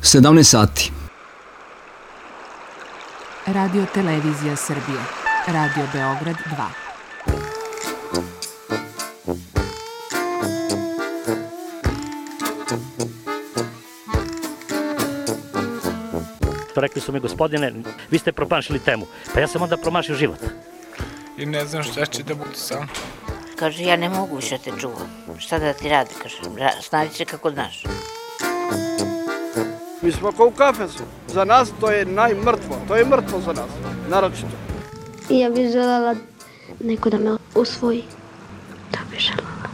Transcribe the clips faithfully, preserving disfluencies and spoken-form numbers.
sedamnaest sati. Radio Televizija Srbije. Radio Beograd dva. Rekli su mi, gospodine, vi ste promašili temu. Pa ja sam onda promašio život. I ne znam šta će da bude sam. Kaže, ja ne mogu više te čuvam. Šta da ti radi, kaže, snađi se kako znaš. Mi smo kao u kafesu. Za nas to je najmrtvo. To je mrtvo za nas, naročito. Ja bih želela neko da me usvoji. To bih želela.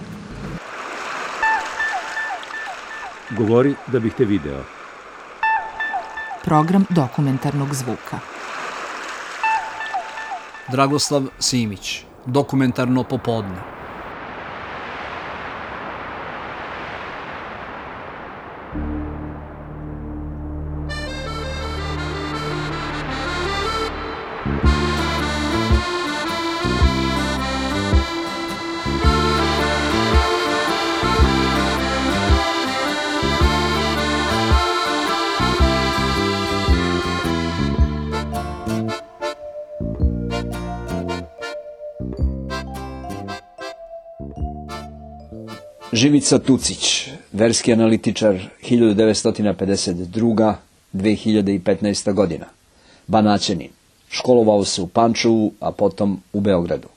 Govori da bih te video. Program dokumentarnog zvuka. Dragoslav Simić, dokumentarno popodne. Živica Tucić, verski analitičar, hiljadu devetsto pedeset druga do dve hiljade petnaesta godina. Banaćanin. Školovao se u Pančevu, a potom u Beogradu.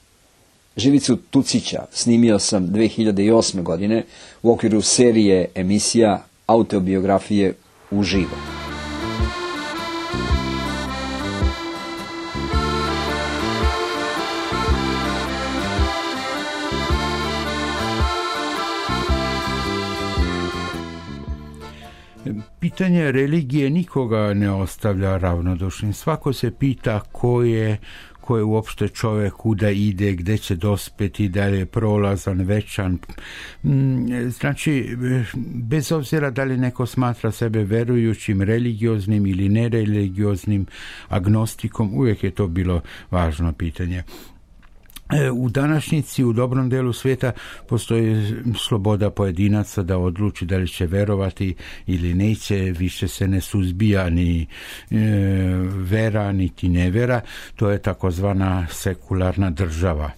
Živicu Tucića snimio sam dve hiljade osme. godine u okviru serije emisija autobiografije uživo. Pitanje religije nikoga ne ostavlja ravnodušnim. Svako se pita ko je, ko je uopšte čovjek, kuda ide, gde će dospeti, da li je prolazan, večan. Znači, bez obzira da li neko smatra sebe verujućim, religioznim ili nereligioznim, agnostikom, uvijek je to bilo važno pitanje. U današnjici, u dobrom delu svijeta, postoji sloboda pojedinaca da odluči da li će verovati ili neće, više se ne suzbija ni e, vera, niti nevera. To je takozvana sekularna država.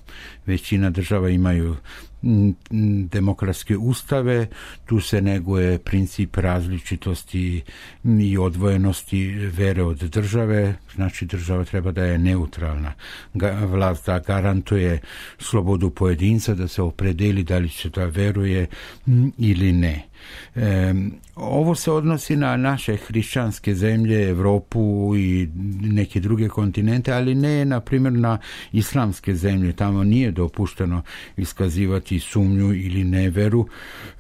Većina država imaju demokratske ustave, tu se neguje princip različitosti i odvojenosti vere od države, znači država treba da je neutralna. Vlast da garantuje slobodu pojedinca da se opredeli da li će da veruje ili ne. E, ovo se odnosi na naše hrišćanske zemlje, Evropu i neke druge kontinente, ali ne, na primjer, na islamske zemlje. Tamo nije dopušteno iskazivati sumnju ili neveru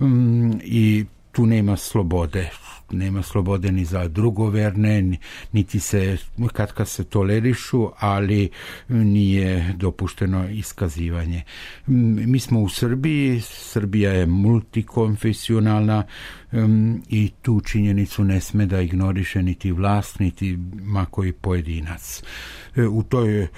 um, i tu nema slobode. Nema slobode ni za drugoverne, niti se kad kad se tolerišu, ali nije dopušteno iskazivanje. Mi smo u Srbiji, Srbija je multikonfesionalna um, i tu činjenicu ne sme da ignoriše niti vlast, niti makoji pojedinac. U toj e,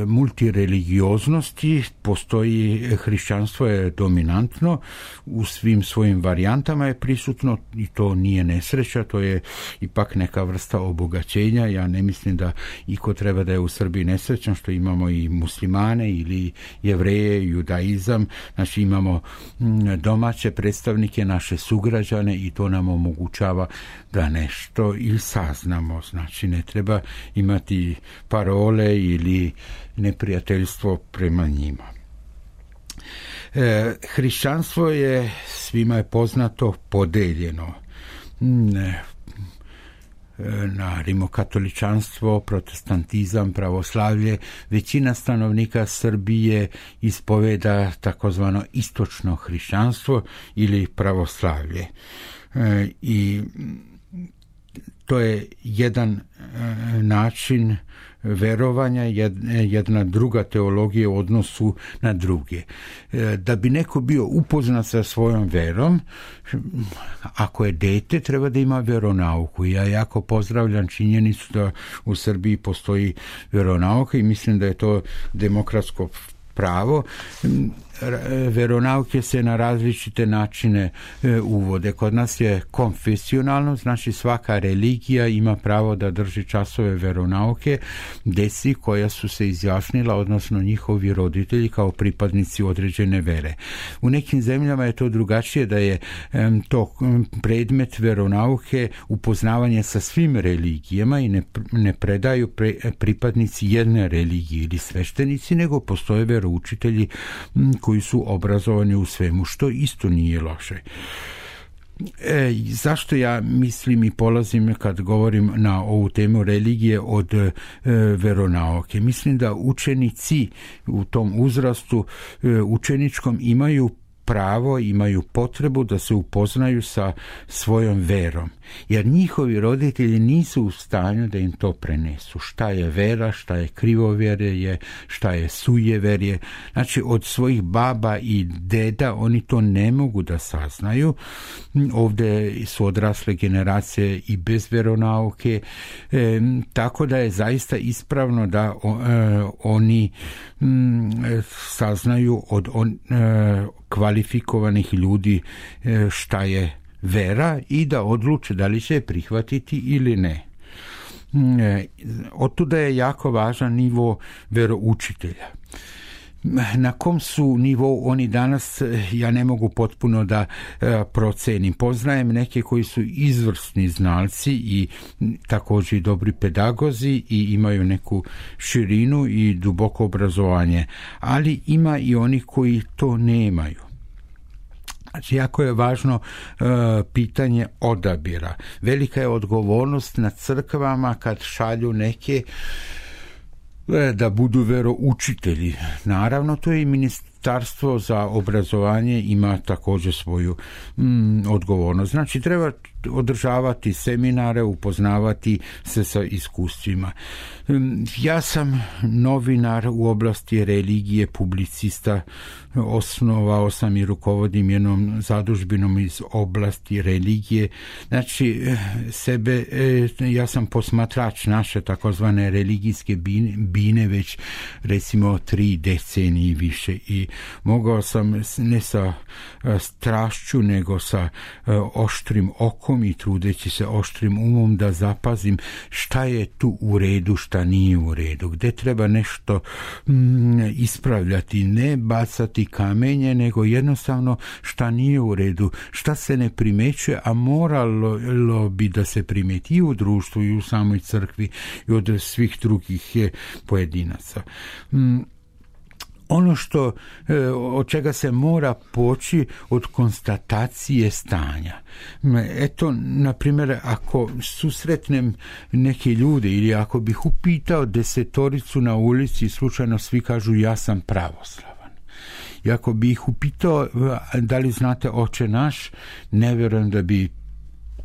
multireligioznosti postoji, hrišćanstvo je dominantno, u svim svojim varijantama je prisutno i to nije nesreća, to je ipak neka vrsta obogaćenja. Ja ne mislim da iko treba da je u Srbiji nesrećan što imamo i muslimane ili jevreje, judaizam, znači imamo domaće predstavnike, naše sugrađane i to nam omogućava da nešto i saznamo. Znači ne treba imati parole ili neprijateljstvo prema njima. E, hrišćanstvo je, svima je poznato, podeljeno ne, na rimokatoličanstvo, protestantizam, pravoslavlje. Većina stanovnika Srbije ispoveda takozvano istočno hrišćanstvo ili pravoslavlje. E, I to je jedan e, način verovanja, jedna druga teologija u odnosu na druge. Da bi neko bio upoznat sa svojom verom, ako je dete, treba da ima veronauku. Ja jako pozdravljam činjenicu da u Srbiji postoji veronauka i mislim da je to demokratsko pravo. veronauke se na različite načine e, uvode. Kod nas je konfesionalno, znači svaka religija ima pravo da drži časove veronauke deci koja su se izjasnila, odnosno njihovi roditelji kao pripadnici određene vere. U nekim zemljama je to drugačije, da je e, to predmet veronauke upoznavanje sa svim religijama i ne, ne predaju pre, pripadnici jedne religije ili sveštenici, nego postoje veroučitelji koji su obrazovani u svemu, što isto nije loše. E, zašto ja mislim i polazim kad govorim na ovu temu religije od e, veronauke? Mislim da učenici u tom uzrastu e, učeničkom imaju pravo, imaju potrebu da se upoznaju sa svojom verom, jer njihovi roditelji nisu u stanju da im to prenesu. Šta je vera, šta je krivovjerje, šta je sujeverje. Znači, od svojih baba i deda oni to ne mogu da saznaju. Ovdje su odrasle generacije i bez veronauke, e, tako da je zaista ispravno da o, e, oni m, saznaju od on, e, kvalifikovanih ljudi šta je vera i da odluče da li će je prihvatiti ili ne. Otuda je jako važan nivo veroučitelja. Na kom su nivou oni danas, ja ne mogu potpuno da e, procenim. Poznajem neke koji su izvrsni znalci i također i dobri pedagozi i imaju neku širinu i duboko obrazovanje, ali ima i oni koji to nemaju. Znači, jako je važno e, pitanje odabira. Velika je odgovornost na crkvama kad šalju neke da budu veroučitelji. Naravno, to je i ministarstvo za obrazovanje ima također svoju mm, odgovornost. Znači, treba održavati seminare, upoznavati se sa iskustvima. Ja sam novinar u oblasti religije, publicista, osnovao sam i rukovodim jednom zadužbinom iz oblasti religije. Znači, sebe, ja sam posmatrač naše takozvane religijske bine, bine već recimo tri decenije i više i mogao sam ne sa strašću nego sa oštrim okom i trudeći se oštrim umom da zapazim šta je tu u redu, šta nije u redu, gde treba nešto mm, ispravljati, ne bacati kamenje, nego jednostavno šta nije u redu, šta se ne primećuje, a moralo bi da se primeti i u društvu i u samoj crkvi i od svih drugih pojedinaca. Mm, Ono što, od čega se mora poći od konstatacije stanja. Eto, na primjer, ako susretnem neke ljude ili ako bih upitao desetoricu na ulici i slučajno svi kažu ja sam pravoslavan. I ako bih ih upitao da li znate Oče naš, ne vjerujem da bi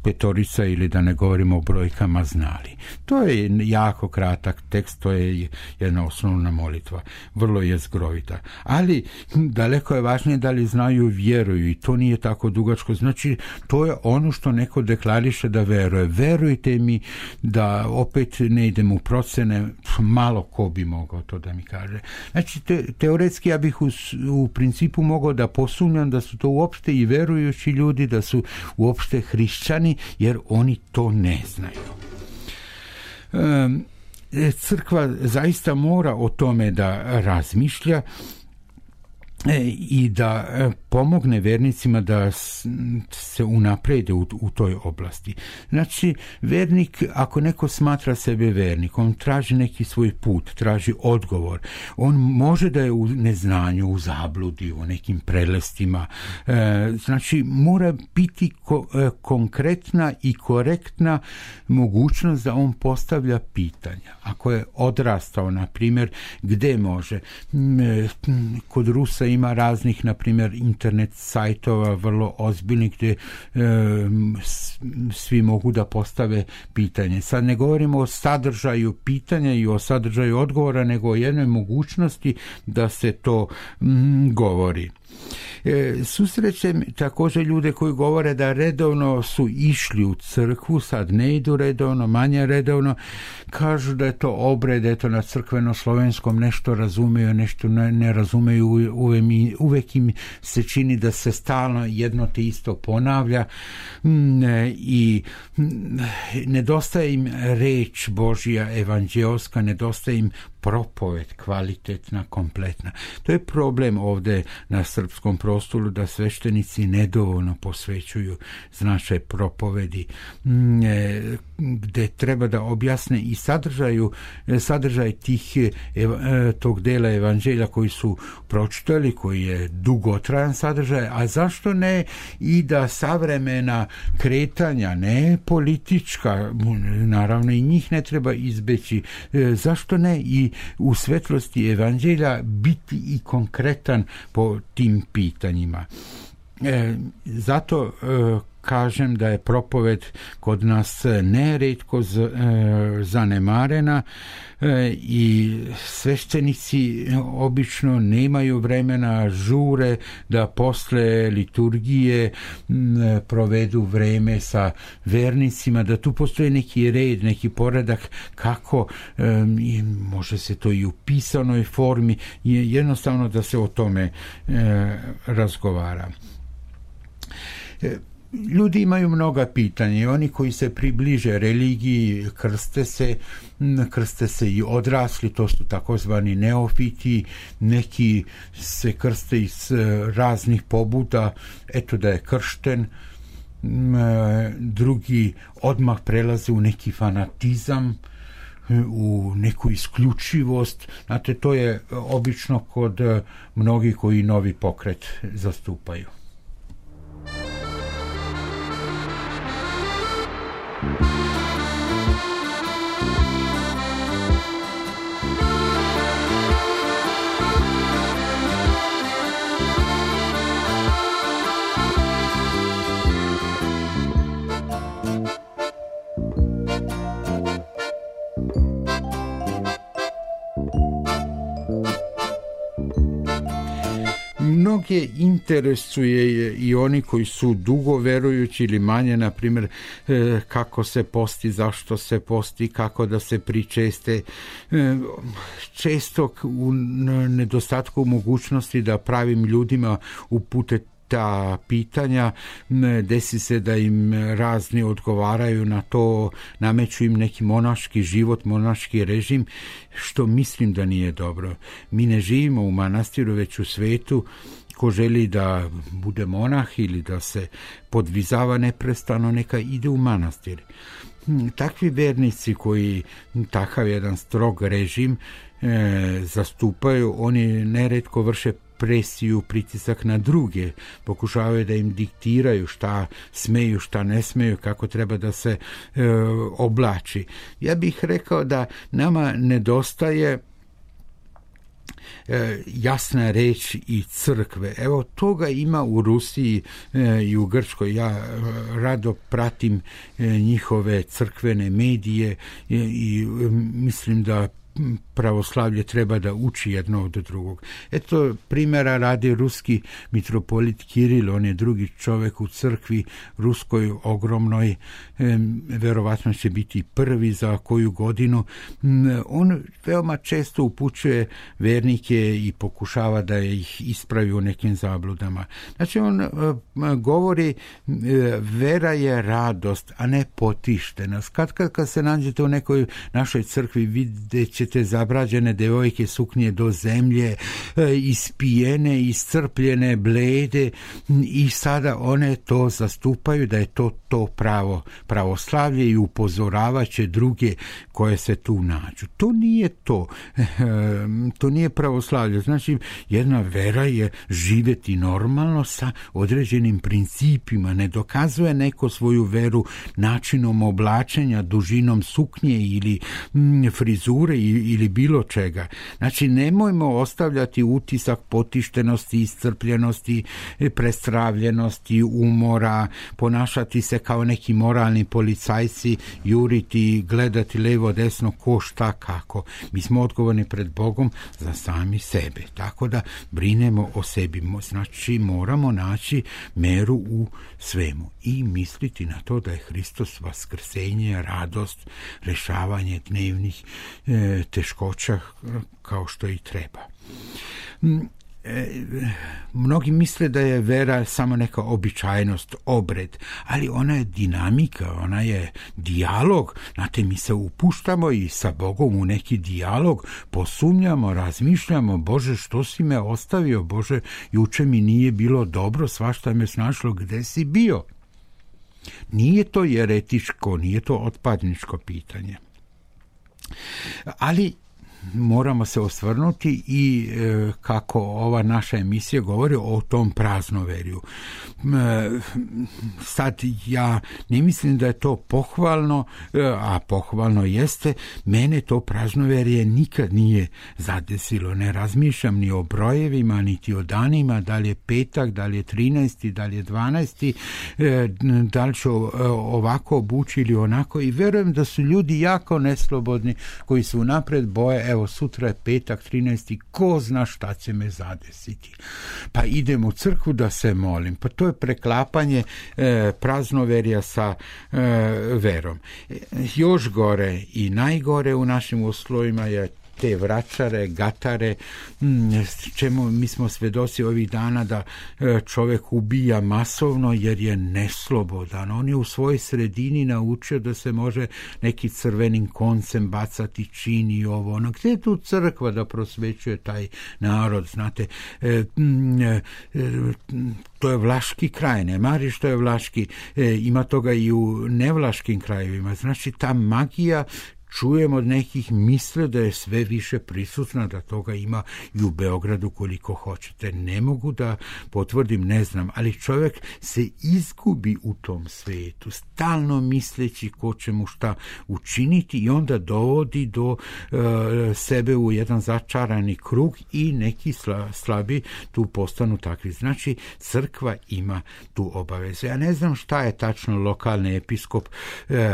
petorica ili da ne govorimo o brojkama znali. To je jako kratak tekst, to je jedna osnovna molitva, vrlo je zgrovita. Ali daleko je važnije da li znaju vjeruju i to nije tako dugačko. Znači, to je ono što neko deklariše da veruje. Verujte mi da opet ne idem u procene, malo ko bi mogao to da mi kaže. Znači, te, teoretski ja bih u, u principu mogao da posumnjam da su to uopšte i verujući ljudi, da su uopšte hrišćani, jer oni to ne znaju. Crkva zaista mora o tome da razmišlja i da pomogne vernicima da se unaprede u, u toj oblasti. Znači, vernik, ako neko smatra sebe vernikom, on traži neki svoj put, traži odgovor. On može da je u neznanju, u zabludi, u nekim prelestima. E, znači, mora biti ko, e, konkretna i korektna mogućnost da on postavlja pitanja. Ako je odrastao, na primjer, gde može? E, kod Rusa ima raznih, na primjer, internet sajtova vrlo ozbiljnih gdje e, svi mogu da postave pitanje. Sad ne govorimo o sadržaju pitanja i o sadržaju odgovora, nego o jednoj mogućnosti da se to mm, govori. E, susrećem također ljude koji govore da redovno su išli u crkvu, sad ne idu redovno, manje redovno, kažu da je to obred, eto na crkveno-slovenskom nešto razumeju, nešto ne, ne razumeju, uvek, uvek im se čini da se stalno jedno te isto ponavlja i nedostaje im reč Božja evanđeoska, nedostaje im propoved kvalitetna, kompletna. To je problem ovdje na srpskom prostoru, da sveštenici nedovoljno posvećuju značaj propovedi, gdje treba da objasne i sadržaju, sadržaj tih, tog dela evanđelja koji su pročitali, koji je dugotrajan sadržaj, a zašto ne i da savremena kretanja, ne politička, naravno i njih ne treba izbeći, zašto ne i u svetlosti evanđelja biti i konkretan po tim pitanjima. E, zato e, kažem da je propoved kod nas nerijetko z, e, zanemarena e, i sveštenici obično nemaju vremena, žure da posle liturgije m, provedu vreme sa vernicima, da tu postoji neki red, neki poredak kako e, može se to i u pisanoj formi, jednostavno da se o tome e, razgovara. E, Ljudi imaju mnoga pitanja, oni koji se približe religiji krste se, krste se i odrasli, to su takozvani neofiti, neki se krste iz raznih pobuda, eto da je kršten, drugi odmah prelaze u neki fanatizam, u neku isključivost. Znate, to je obično kod mnogih koji novi pokret zastupaju. Mnoge interesuje i oni koji su dugo verujući ili manje, na primjer kako se posti, zašto se posti, kako da se pričeste. Često u nedostatku mogućnosti da pravim ljudima upute ta pitanja, desi se da im razni odgovaraju na to, nameću im neki monaški život, monaški režim, što mislim da nije dobro. Mi ne živimo u manastiru, već u svetu. Ko želi da bude monah ili da se podvizava neprestano, neka ide u manastir. Takvi vernici koji takav jedan strog režim e, zastupaju, oni neretko vrše presiju, pritisak na druge, pokušavaju da im diktiraju šta smeju, šta ne smeju, kako treba da se e, oblači. Ja bih rekao da nama nedostaje e, jasna reč i crkve. Evo, toga ima u Rusiji e, i u Grčkoj. Ja e, rado pratim e, njihove crkvene medije e, i e, mislim da pravoslavlje treba da uči jedno od drugog. Eto, primjera radi ruski mitropolit Kiril, on je drugi čovjek u crkvi ruskoj ogromnoj, e, verovatno će biti prvi za koju godinu. On veoma često upućuje vernike i pokušava da ih ispravi u nekim zabludama. Znači, on e, govori e, vera je radost, a ne potištenost. Kad, kad, kad se nađete u nekoj našoj crkvi, vidjet ćete zabrađene devojke suknje do zemlje, e, ispijene, iscrpljene, blede, i sada one to zastupaju da je to to pravo pravoslavlje i upozoravaće druge koje se tu nađu. To nije to. E, to nije pravoslavlje. Znači, jedna vera je živjeti normalno sa određenim principima. Ne dokazuje neko svoju veru načinom oblačenja, dužinom suknje ili m, frizure ili bilo čega. Znači, nemojmo ostavljati utisak potištenosti, iscrpljenosti, prestravljenosti, umora, ponašati se kao neki moralni policajci, juriti, gledati levo, desno, ko, šta, kako. Mi smo odgovorni pred Bogom za sami sebe. Tako da brinemo o sebi. Znači, moramo naći meru u svemu i misliti na to da je Hristos vaskrsenje, radost, rešavanje dnevnih e, teškoća kao što i treba. E, mnogi misle da je vera samo neka običajnost, obred, ali ona je dinamika, ona je dijalog. Znate, mi se upuštamo i sa Bogom u neki dijalog, posumnjamo, razmišljamo, Bože, što si me ostavio, Bože, juče mi nije bilo dobro, svašta me snašlo, gde si bio? Nije to jeretičko, nije to otpadničko pitanje. Ali moramo se osvrnuti i e, kako ova naša emisija govori o tom praznoverju. E, sad ja ne mislim da je to pohvalno, e, a pohvalno jeste, mene to praznoverje nikad nije zadesilo. Ne razmišljam ni o brojevima, niti o danima, da li je petak, da li je trinaesti, da li je dvanaesti, e, da li ću ovako obući ili onako, i verujem da su ljudi jako neslobodni koji su napred boje, evo sutra je petak trinaesti, ko zna šta će me zadesiti. Pa idem u crkvu da se molim. Pa to je preklapanje e, praznoverja sa e, verom. E, još gore i najgore u našim uslovima je te vračare, gatare, čemu mi smo svedoci ovih dana da čovjek ubija masovno jer je neslobodan. On je u svojoj sredini naučio da se može neki crvenim koncem bacati, čini ovo. Ono, gdje je tu crkva da prosvećuje taj narod? Znate, e, e, to je vlaški kraj, ne mari što je vlaški, e, ima toga i u nevlaškim krajevima. Znači, ta magija, čujem od nekih, misle da je sve više prisutna, da toga ima i u Beogradu koliko hoćete. Ne mogu da potvrdim, ne znam, ali čovjek se izgubi u tom svijetu, stalno misleći ko će mu šta učiniti, i onda dovodi do e, sebe u jedan začarani krug i neki sla, slabi tu postanu takvi. Znači, crkva ima tu obavezu. Ja ne znam šta je tačno lokalni episkop e,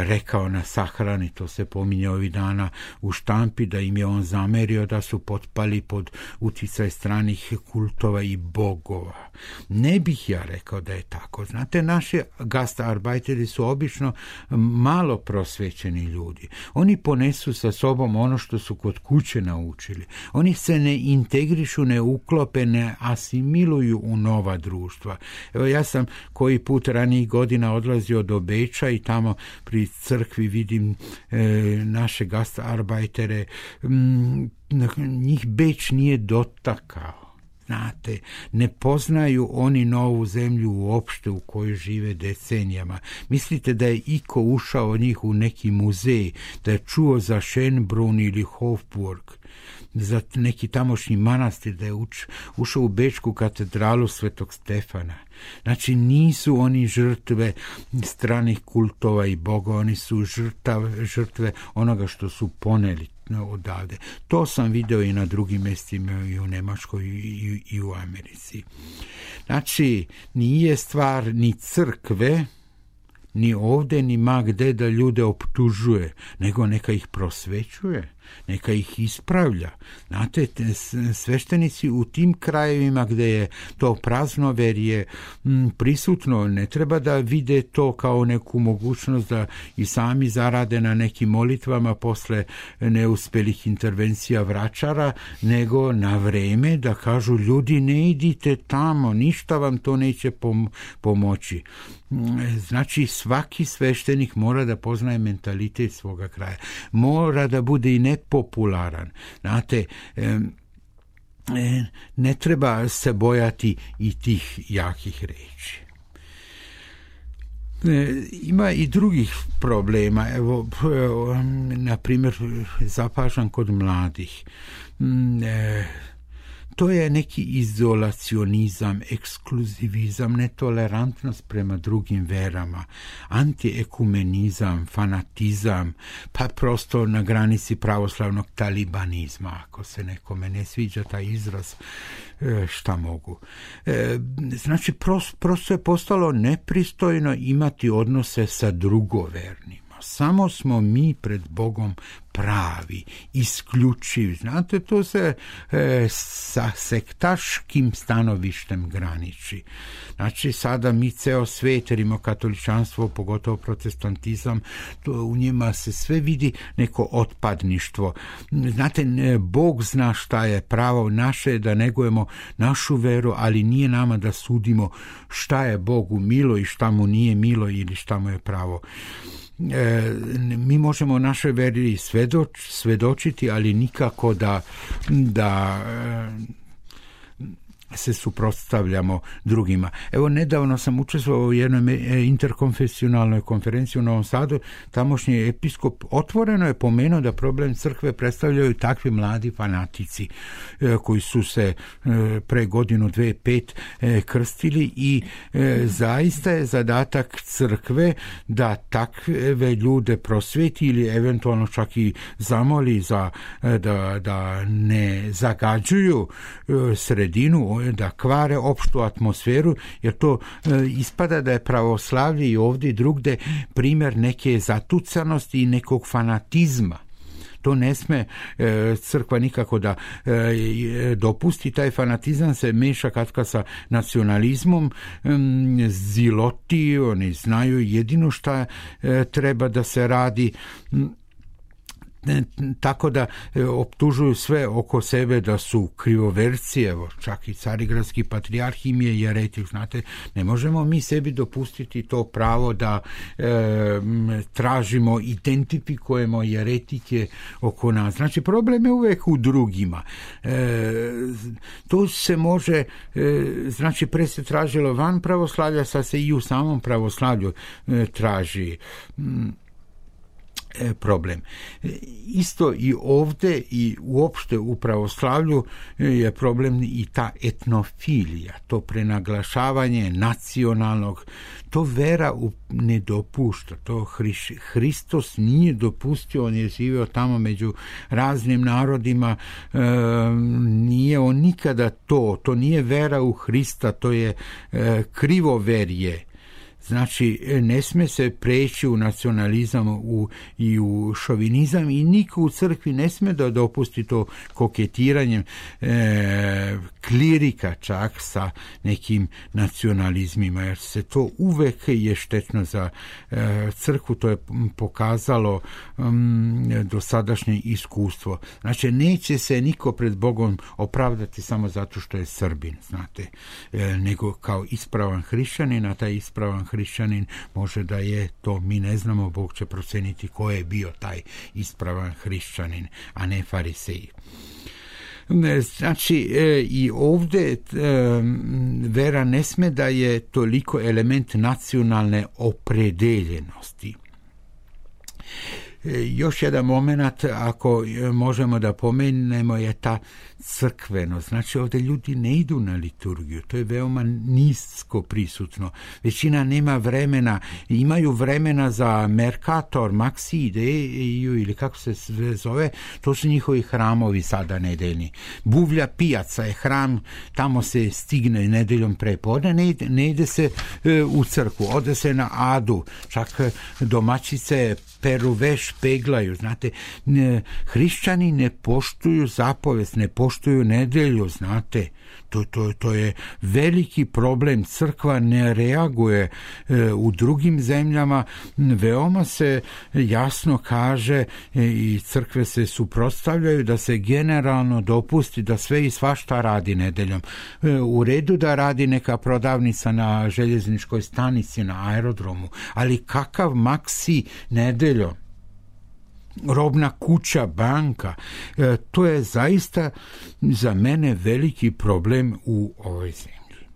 rekao na sahrani, to se pominje ovih dana u štampi, da im je on zamerio da su potpali pod uticaj stranih kultova i bogova. Ne bih ja rekao da je tako. Znate, naši gastarbajteri su obično malo prosvećeni ljudi. Oni ponesu sa sobom ono što su kod kuće naučili. Oni se ne integrišu, ne uklope, ne asimiluju u nova društva. Evo, ja sam koji put ranijih godina odlazio do Beča i tamo pri crkvi vidim e, naše gastarbajtere, njih Beč nije dotakao. Znate, ne poznaju oni novu zemlju uopšte u kojoj žive decenijama. Mislite da je iko ušao od njih u neki muzej, da je čuo za Schönbrunn ili Hofburg, za neki tamošnji manastir, da je uč, ušao u Bečku katedralu Svetog Stefana. Znači, nisu oni žrtve stranih kultova i boga, oni su žrtav, žrtve onoga što su poneli odavde. To sam video i na drugim mjestima, i u Nemačkoj i, i, i u Americi. Znači, nije stvar ni crkve, ni ovdje, ni ma gde da ljude optužuje, nego neka ih prosvećuje, neka ih ispravlja. Znate, sveštenici u tim krajevima gdje je to praznoverje m, prisutno, ne treba da vide to kao neku mogućnost da i sami zarade na nekim molitvama posle neuspelih intervencija vračara, nego na vreme da kažu, ljudi, ne idite tamo, ništa vam to neće pom- pomoći. Znači, svaki sveštenik mora da poznaje mentalitet svoga kraja. Mora da bude i nepopularan. Znate, ne treba se bojati i tih jakih reči. Ima i drugih problema. Evo, na primjer, zapažam kod mladih. to je neki izolacionizam, ekskluzivizam, netolerantnost prema drugim verama, antiekumenizam, fanatizam, pa prosto na granici pravoslavnog talibanizma. Ako se nekome ne sviđa taj izraz, šta mogu. Znači, prosto je postalo nepristojno imati odnose sa drugovernima. Samo smo mi pred Bogom pravi, isključivi. Znate, to se e, sa sektaškim stanovištem graniči. Znači, sada mi ceo svijet, rimokatoličanstvo, pogotovo protestantizam, to u njima se sve vidi neko otpadništvo. Znate, Bog zna šta je pravo, naše je da negujemo našu veru, ali nije nama da sudimo šta je Bogu milo i šta mu nije milo ili šta mu je pravo. E, mi možemo o našoj veri svedoč, svedočiti, ali nikako da, da e, se suprotstavljamo drugima. Evo, nedavno sam učestvovao u jednoj interkonfesionalnoj konferenciji u Novom Sadu. Tamošnji episkop otvoreno je pomenuo da problem crkve predstavljaju takvi mladi fanatici e, koji su se e, pre godinu, dve, pet e, krstili i e, zaista je zadatak crkve da takve ljude prosveti ili eventualno čak i zamoli za, e, da, da ne zagađuju e, sredinu, da kvare opštu atmosferu, jer to e, ispada da je pravoslavlje i ovdje i drugde primjer neke zatucanosti i nekog fanatizma. To ne sme e, crkva nikako da e, dopusti. Taj fanatizam se meša katka sa nacionalizmom, e, ziloti, oni znaju jedino šta e, treba da se radi, tako da e, optužuju sve oko sebe da su krivoverci. Evo, čak i carigradski patrijarh im je jeretik. Znate, ne možemo mi sebi dopustiti to pravo da e, tražimo, identifikujemo jeretike oko nas. Znači, problem je uvek u drugima. E, to se može, e, znači, pre se tražilo van pravoslavlja, sad se i u samom pravoslavlju e, traži problem. Isto i ovdje i uopšte u pravoslavlju je problem i ta etnofilija, to prenaglašavanje nacionalnog, to vera ne dopušta, to Hriš, Hristos nije dopustio, on je živio tamo među raznim narodima, e, nije on nikada to, to nije vera u Hrista, to je e, krivoverje. Znači, ne sme se preći u nacionalizam u, i u šovinizam i niko u crkvi ne sme da dopusti to koketiranjem e, klirika čak sa nekim nacionalizmima, jer se to uvek je štetno za e, crkvu, to je pokazalo um, dosadašnje iskustvo. Znači, neće se niko pred Bogom opravdati samo zato što je Srbin, znate, e, nego kao ispravan hrišćanin, a taj ispravan hrišćanin može da je to, mi ne znamo, Bog će proceniti ko je bio taj ispravan hrišćanin, a ne fariseji. Znači, e, i ovdje e, vera ne sme da je toliko element nacionalne opredeljenosti. Još jedan moment, ako možemo da pomenemo, je ta crkvenost. Znači, ovdje ljudi ne idu na liturgiju, to je veoma nisko prisutno. Većina nema vremena, imaju vremena za Mercator, Maxi Ideju ili kako se zove, to su njihovi hramovi sada nedeljni. Buvlja pijaca je hram, tamo se stigne nedeljom prepodne, ne ide, ne ide se e, u crkvu, ode se na adu, čak domaćice peru veš, peglaju, znate, ne, hrišćani ne poštuju zapovest, ne poštuju nedelju, znate, to, to, to je veliki problem, crkva ne reaguje e, u drugim zemljama, veoma se jasno kaže e, i crkve se suprotstavljaju da se generalno dopusti da sve i svašta radi nedeljom. E, u redu da radi neka prodavnica na željezničkoj stanici, na aerodromu, ali kakav Maxi nedeljom? Robna kuća, banka, e, to je zaista za mene veliki problem u ovoj zemlji.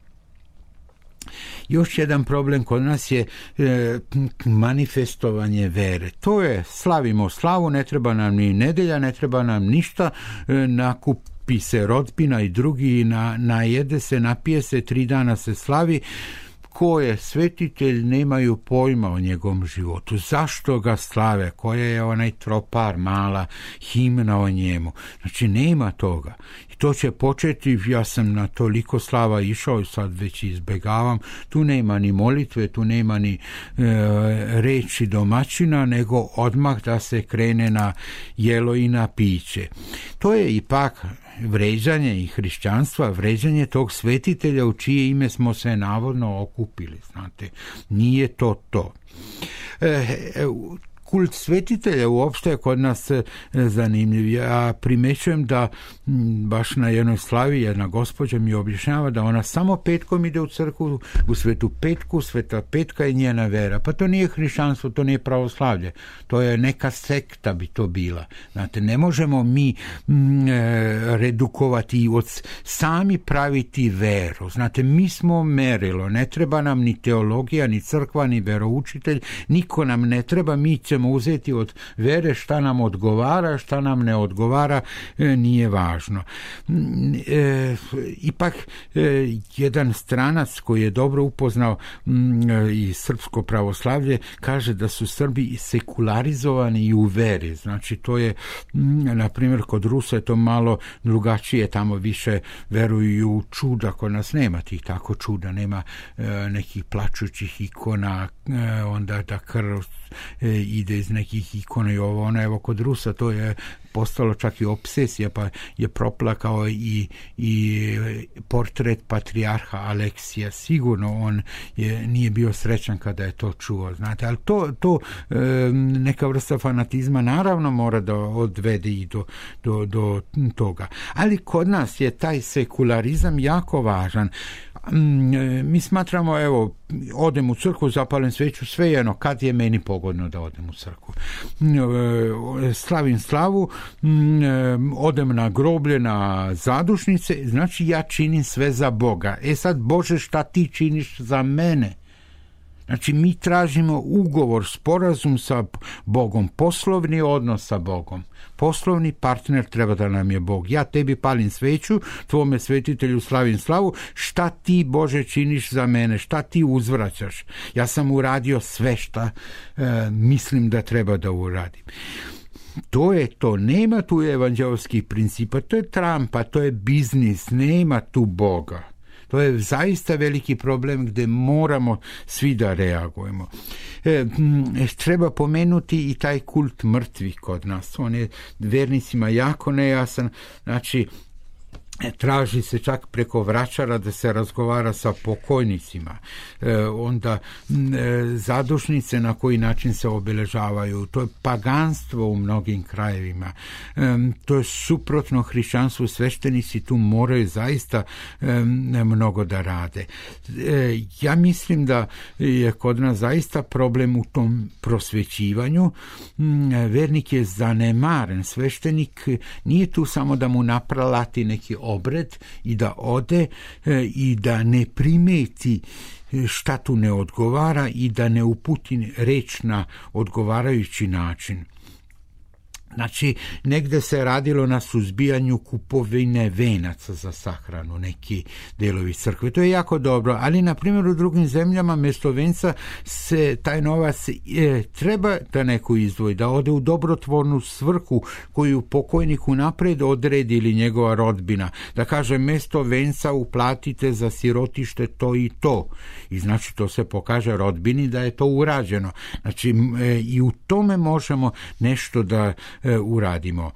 Još jedan problem kod nas je e, manifestovanje vere. To je, slavimo slavu, ne treba nam ni nedelja, ne treba nam ništa, e, nakup okupi se rodbina i drugi, na, najede se, napije se, tri dana se slavi. Ko je svetitelj, nemaju pojma o njegovom životu. Zašto ga slave? Koja je onaj tropar, mala himna o njemu? Znači, nema toga. I to će početi, ja sam na toliko slava išao i sad već izbegavam. Tu nema ni molitve, tu nema ni e, reči domaćina, nego odmah da se krene na jelo i na piće. To je ipak vređanje i hrišćanstva, vređanje tog svetitelja u čije ime smo se navodno okupili, znate, nije to to. E, kult svetitelja uopšte je kod nas zanimljiv. Ja primećujem da baš na jednoj slavi jedna gospođa mi objašnjava da ona samo petkom ide u crkvu, u Svetu Petku, Sveta Petka je njena vera. Pa to nije hrišćanstvo, to nije pravoslavlje. To je neka sekta bi to bila. Znate, ne možemo mi mm, redukovati i od sami praviti veru. Znate, mi smo merilo. Ne treba nam ni teologija, ni crkva, ni veroučitelj. Niko nam ne treba. Mi ćemo uzeti od vere šta nam odgovara, šta nam ne odgovara, e, nije važno. E, ipak e, jedan stranac koji je dobro upoznao m, i srpsko pravoslavlje kaže da su Srbi sekularizovani i u veri. Znači to je, m, na primjer kod Rusa je to malo drugačije, tamo više veruju u čuda, kod nas nema tih tako čuda, nema e, nekih plačućih ikona, e, onda da krv e, ide iz nekih ikona i ovo, ono, evo kod Rusa to je postalo čak i obsesija, pa je proplakao i, i portret patrijarha Aleksija. Sigurno on je, nije bio srećan kada je to čuo, znate, ali to, to e, neka vrsta fanatizma naravno mora da odvede i do, do, do toga. Ali kod nas je taj sekularizam jako važan. Mi smatramo, evo, odem u crkvu, zapalim sveću, svejedno kad je meni pogodno da odem u crkvu. Slavim slavu, odem na groblje, na zadušnice, znači ja činim sve za Boga. E sad, Bože, šta ti činiš za mene? Znači, mi tražimo ugovor, sporazum sa Bogom, poslovni odnos sa Bogom. Poslovni partner treba da nam je Bog. Ja tebi palim sveću, tvome svetitelju slavim slavu, šta ti, Bože, činiš za mene, šta ti uzvraćaš? Ja sam uradio sve šta e, mislim da treba da uradim. To je to, nema tu evanđelskih principa, to je trampa, to je biznis, nema tu Boga. To je zaista veliki problem gdje moramo svi da reagujemo. E, treba pomenuti i taj kult mrtvih kod nas. On je vernicima jako nejasan. Znači, traži se čak preko vračara da se razgovara sa pokojnicima. E, onda e, zadušnice na koji način se obeležavaju. To je paganstvo u mnogim krajevima. E, to je suprotno hrišćanstvu. Sveštenici tu moraju zaista e, mnogo da rade. E, ja mislim da je kod nas zaista problem u tom prosvećivanju. E, vernik je zanemaren. Sveštenik nije tu samo da mu napralati neki obred i da ode e, i da ne primeti šta tu ne odgovara i da ne uputi reč na odgovarajući način. Znači, negde se radilo na suzbijanju kupovine venaca za sahranu, neki delovi crkve. To je jako dobro, ali na primjer u drugim zemljama mjesto venca se taj novac e, treba da neko izdvoji, da ode u dobrotvornu svrhu koju pokojniku napred odredi ili njegova rodbina. Da kaže, mjesto venca uplatite za sirotište to i to. I znači to se pokaže rodbini da je to urađeno. Znači e, i u tome možemo nešto da E, uradimo.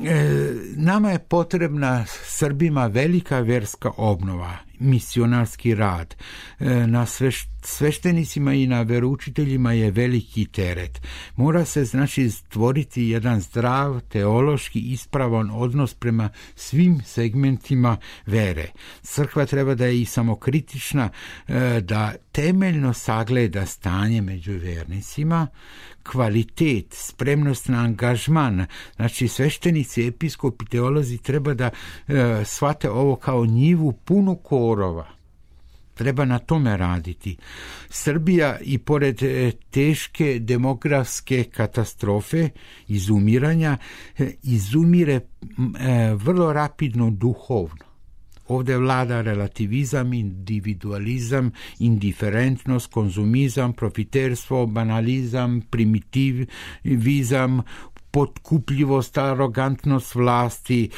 E, nama je potrebna Srbima velika verska obnova, misionarski rad. E, na sveš, sveštenicima i na veroučiteljima je veliki teret. Mora se znači stvoriti jedan zdrav, teološki ispravan odnos prema svim segmentima vere. Crkva treba da je i samokritična, e, da temeljno sagleda stanje među vernicima, kvalitet, spremnost na angažman. Znači sveštenici, episkopi, teolozi treba da e, shvate ovo kao njivu punu korova. Treba na tome raditi. Srbija i pored teške demografske katastrofe, izumiranja, izumire vrlo rapidno duhovno. Ovdje vlada relativizam, individualizam, indiferentnost, konzumizam, profiterstvo, banalizam, primitivizam, potkupljivost, arogantnost vlasti,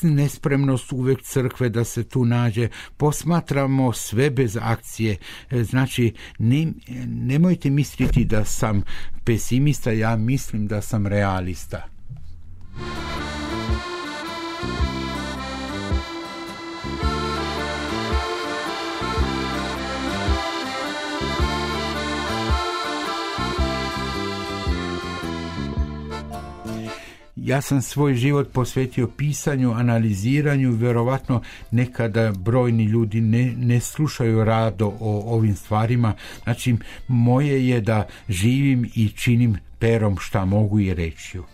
nespremnost uvek crkve da se tu nađe. Posmatramo sve bez akcije. Znači, ne, nemojte misliti da sam pesimista, ja mislim da sam realista. Ja sam svoj život posvetio pisanju, analiziranju, vjerovatno nekada brojni ljudi ne, ne slušaju rado o ovim stvarima. Znači, moje je da živim i činim perom šta mogu i rečju.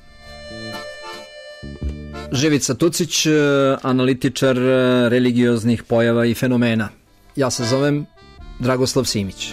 Živica Tucić, analitičar religioznih pojava i fenomena. Ja se zovem Dragoslav Simić.